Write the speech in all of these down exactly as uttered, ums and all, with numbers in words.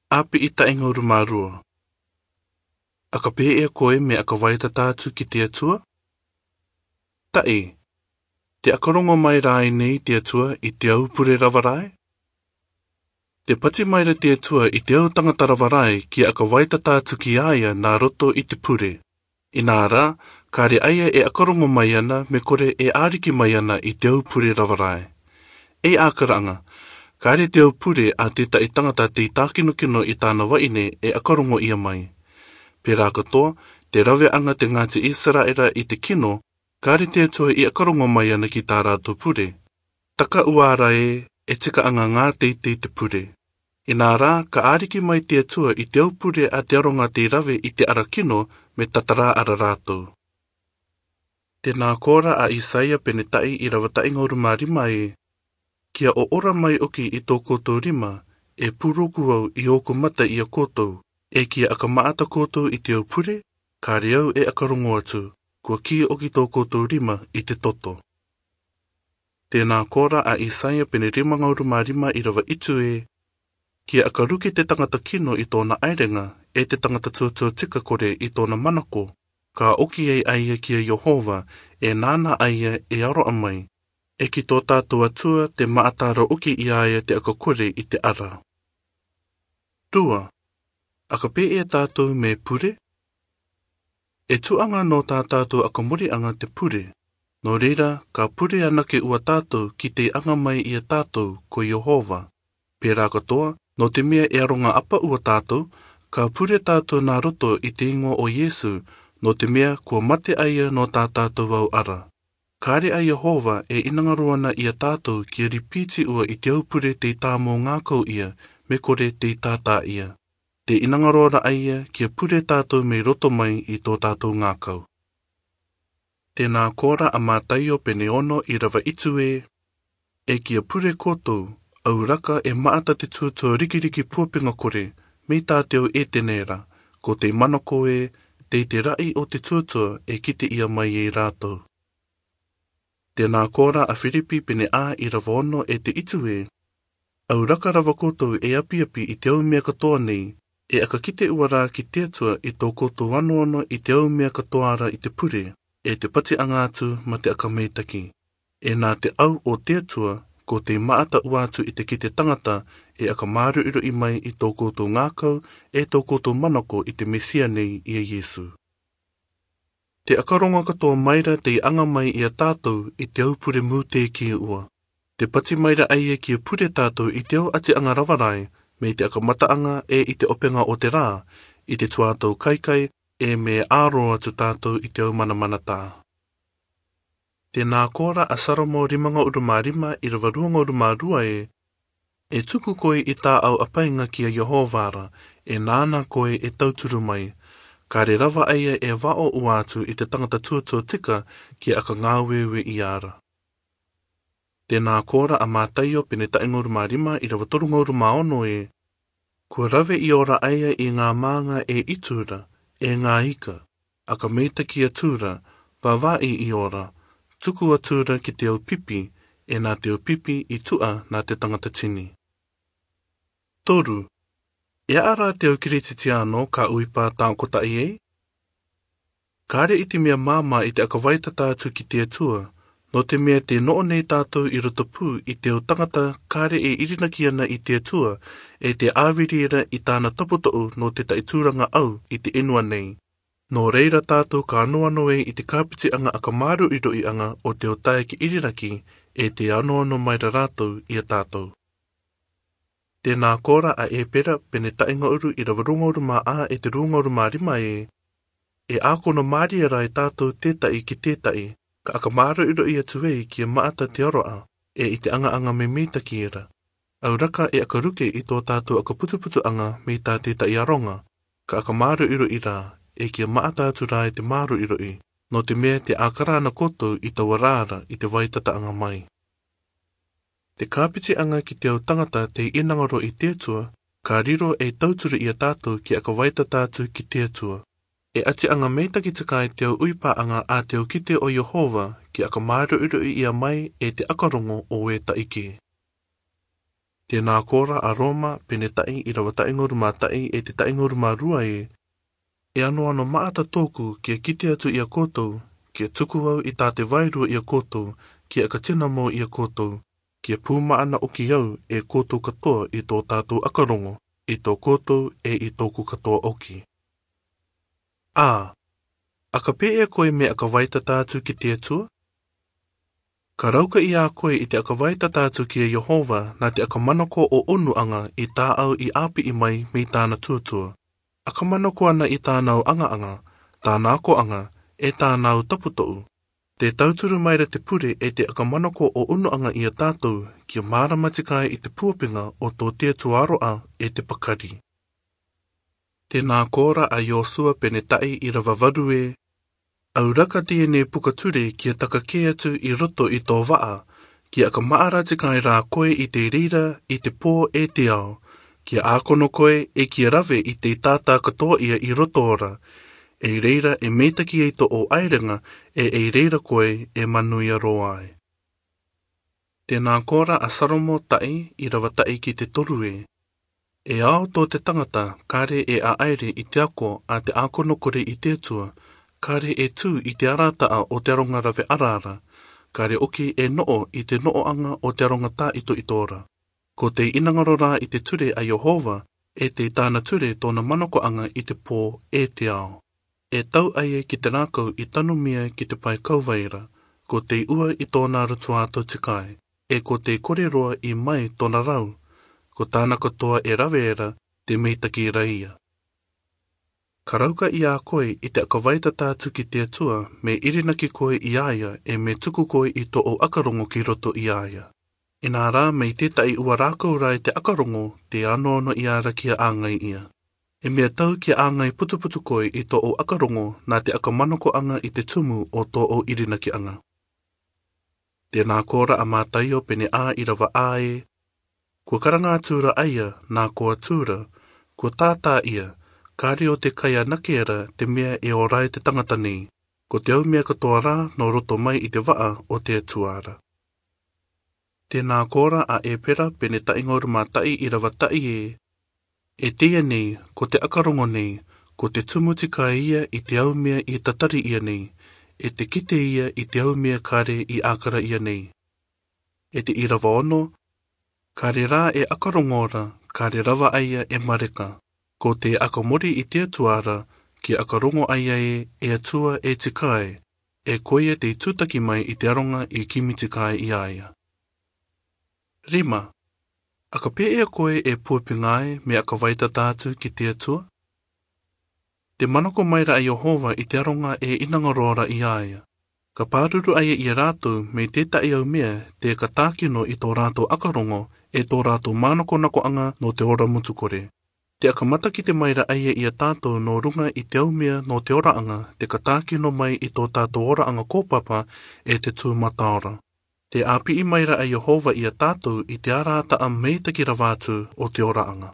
Api i tainga uru. Aka pē e koe me aka waitata atu ki te atua? Tae, te akarongo mai rai nei te atua i te au pure rawarai? Te pati maira te atua i te au tangata rawarai ki aka waitata atu ki aia nā roto i te pure. Inā rā, kāre aia e akarongo mai ana me kore e āriki mai ana i te au pure rawarai. E ākaranga, kāre te au pure a tētahi tangata te tākinokino i tāna waine e akarongo ia mai. Pērā katoa, te rawe anga te Ngāti Israera i te kino, kāre te atua i akarongo mai ana ki tā rātou pure. Taka uara e, e tika anga ngā teitei te pure. Inā rā, ka āriki mai te atua i te aupure a te aronga te rawe i te ara kino me tatarā ara rātou. Tēnā kōra a Isaia penetai i rawatainga uru rima e, kia o ora mai oki i tō koutou rima, e pūroku au i ōku mata i a koutou, e kia aka maata koutou i te aupure, kāre au e akarongo atu, kua ki oki tō koutou rima i te toto. Tēnā kōra a Isaia pene rima ngauru mā rima i rawa itu e, kia akaruki te tangata kino i tōna airenga, e te tangata tuatua tika kore i tōna manako, ka oki ei aia ki a Yehova, e nāna aia e aro amai, e ki tō tātou atua te maatara oki i aia te akakore i te ara. Rua, aka pē e tātou me pure? E tuanga no tā tātou akamuri anga te pure. Nō reira, ka pure anake ua tātou ki te anga mai i a tātou ko Yehova. Pērā katoa, no te mea e aronga apa ua tātou, ka pure tātou nā roto i te ingoa o Yesu, no te mea kua mate aia no tā tātou au ara. Kāre a Yehova e inangaro ana i a tātou kia ripiti ua i te aupure te tāmō ngākau ia, me kore te tātā ia. Te inangaro ana aia kia pure tātou me roto mai i tō tātou ngākau. Tēnā kōra a Mātaio pene ono i rawa itu e, e kia pure koutou, au raka e maata te tuatua rikiriki puapenga kore, me tā te au e tenera, ko te manako e, te te rai o te tuatua e kite ia mai e rātou. Tēnā kōra a Filipi pene a i rawa ono e te itu e, au raka rawa koutou e apiapi i te au mea katoa nei, e akakite ua rā ki te atua i tō koutou anoano i te au mea katoa ara i te pure, e te pati anga atu ma te akameitaki. E nā te au o te atua, ko te maata ua atu i te kite tangata e akamāruiru i mai i tō koutou ngākau e tō koutou manako i te Mesia nei i a Yesu. Te akaronga katoa maira te anga mai i a tātou i te aupure mūte ki ua. Te pati maira aia ki a pure tātou i te au ati anga rawarai, me te akamata anga e i te openga o te rā, i te tuātou kaikai e me āro atu tātou i te au manamana tā. Tēnā kōra a Saromo rimanga uru mā rima i rawa ruanga uru mā rua e, e tuku koe i tā au apainga ki a Yehovara, e nāna koe e tauturu mai, kāre rawa aia e wao ua atu i te tangata tuatua tika ki aka ngāwewe i ara. Tēnā kōra a Mātaio pene tainga uru mā rima i rawa torunga uru mā ono e, kua rawe i ora aia i ngā mānga e itura, e ngā ika, aka meita ki a tūra, wawai i ora, tuku a tūra ki te au pipi, e nā te au pipi i tua nā te tangata tini. Toru, e ara te au kirititiano ka uipa tākota i ei? Kāre i te mea māmā i te akawaitata atu ki te atua, no te mea te noo nei tātou i roto pū i te o tangata kāre e irinaki ana i te atua, e te āwiriera i tāna taputo'u no te taitūranga au i te enua nei. Nō reira tātou ka anoano e i te kāpiti anga akamāru i roi anga o te o tae ki iriraki e te anoano maira rātou i a tātou. Tēnā kōra a Epera pene tainga uru i rawa runga uru mā a e te runga uru mā rima e, e ākono māria rai tātou tētai ki tētai, ka akamāru i roi atu e ki a maata te aroa, e i te anga anga me meita ki era. Au raka e akaruke i tō tātou akaputuputu anga me tā tētai aronga, ka akamāru i roi rā, e kia maata atu rā e te māru i roi, no te mea te ākara ana koutou i taua rāra i te waitata anga mai. Te kāpiti anga ki te au tangata te inangaro i te atua, ka riro e tauturu i a tātou ki aka waitata atu ki te atua. E ati anga meitaki tikai te au uipa anga a te au kite o Yehova ki aka māru uru i ia mai e te akarongo o e taike. Tēnā kōra a Roma pene ta'i i rawa taingoru mā ta'i e te taingoru mā rua e. E ano ano maata tōku kia kite atu i a koutou, kia tuku au i tā te wairua i a koutou, kia akatina mō i a koutou, kia pūma ana oki au e koutou katoa i tō tātou akarongo, i tō koutou e i tōku katoa oki. Ā, aka pē e koe me akawaitata atu ki te Atua? Ka rauka i a koe i te akawaitata atu ki a Yehova nā te akamanako o onu anga i tā au i āpi i mai me tāna tuatua. Akamanako ana i tāna au anga anga, tāna ako anga, e tāna au taputo'u. Te tauturu maira te pure e te akamanako o unu anga i a tātou kia mārama tikai i te puapinga o tō te Atua aroa e te pakari. Tēnā kōra a Iosua pene ta'i i rawawaru e, au raka tēnei pukature kia takake atu i roto i tō waa, kia akamaara tikai rā koe i te rira, i te pō e te ao, kia ākono koe e kia rawe i te tātā katoa ia i roto ora, e reira e meitaki e tō o airenga e e reira koe e manuia roa ai. Tēnā kōra a Saromo ta'i i rawa ta'i ki te toru e. E ao tō te tangata kāre e a aere i te ako a te ākono kore i te Atua, kāre e tū i te arataa o te aronga rawe araara, kāre oki e noo i te nooanga o te aronga tā ito i tōra. Ko te inangaro rā i te ture a Yehova, e te tāna ture tōna manakoanga i te pō e te ao. E tau ai e ki te rākau i tanumia ki te pai kauvaira, ko te ua i tōna rutuātou tikai, e ko te koreroa i mai tōna rau, ko tāna katoa e raweera te meitaki raia. Ka rauka i a koe i te akawaitata atu ki te Atua me irinaki koe i aia e me tuku koe i tō o akarongo ki roto i aia. Inā rā me i tētahi ua rākau rā i te akarongo te anoano i ara kia āngai ia. E mea tau kia āngai putuputu koe i tō o akarongo nā te akamanako anga i te tumu o tō o irinaki anga. Tēnā kōra a Mātaio pene a i rawa a e, kua karanga atura aia nā koa tūra, kua tātā ia, kāre o te kai anake te mea e orai te tangata nei, ko te au mea katoa rā no roto mai i te waa o te atuara. Tēnā kōra a Epera pene taingoru mā ta'i i rawa ta'i e, e teia nei, ko te akarongo nei, ko te tumu tikai ia i te au mea i tatari ia nei, e te kite ia i te au mea kāre i ākara ia nei. E te i rawa ono, kāre rā e akarongora, kāre rawa aia e mareka. Ko te akamori i te atuara, ki akarongo aia e e atua e tikai, e koia te tūtaki mai i te aronga i kimi tikai i aia. Rima, akapē e koe e puapingai me akawaitata atu ki te Atua? Te manako maira a Yehova i te aronga e inangarora i aia. Ka pāruru aia i a rātou me tētahi au mea te ka tākino i tō rātou akarongo e tō rātou mānakonako anga no te ora mutukore. Te akamata ki te maira aia i a tātou no runga i te aumea no te ora anga, te ka tākino mai i tō tātou ora anga kōpapa e te tū mataora. Te āpii maira a Yehova i a tātou i te arata a meitaki rawātu o te ora anga.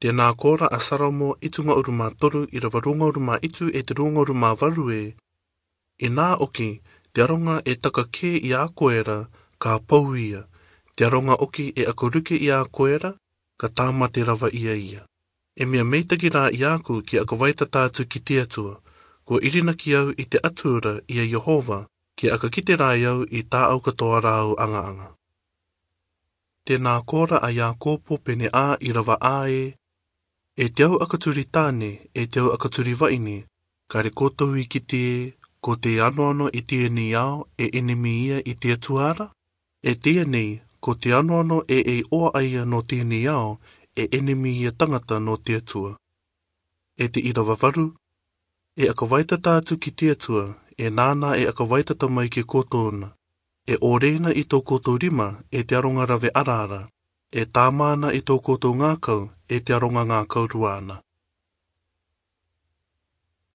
Tēnā kōra a Saromo i tunga uru mā toru i rawa runga uru mā itu e te runga uru mā waru e. Inā oki, te aronga e taka kē i a koera, ka pau ia. Te aronga oki e akoruke i a koera, ka tāmate rawa ia ia. E mea meitaki rā i aku ki akawaitata atu ki te Atua, kua irinaki au i te atura i a Yehova, ki akakite rā au i tā au katoa rāu anga anga. Tēnā kōra a Iākopo pene a i rawa a e, e te au akaturi tāne, e te au akaturi waine, kāre koutou i kite e, ko te anoano i tēnei ao e enemi ia i te atuara? E tēnei, ko te anoano e e oa aia no tēnei ao, e enemi ia tangata no te Atua. E te ira wawaru, e akawaitata atu ki te Atua, e nāna e akawaitata mai ki kōtōna, e ōreina i tō koutou rima e te aronga rawe araara, e tāmāna i tō koutou ngākau e te aronga ngākau ruana.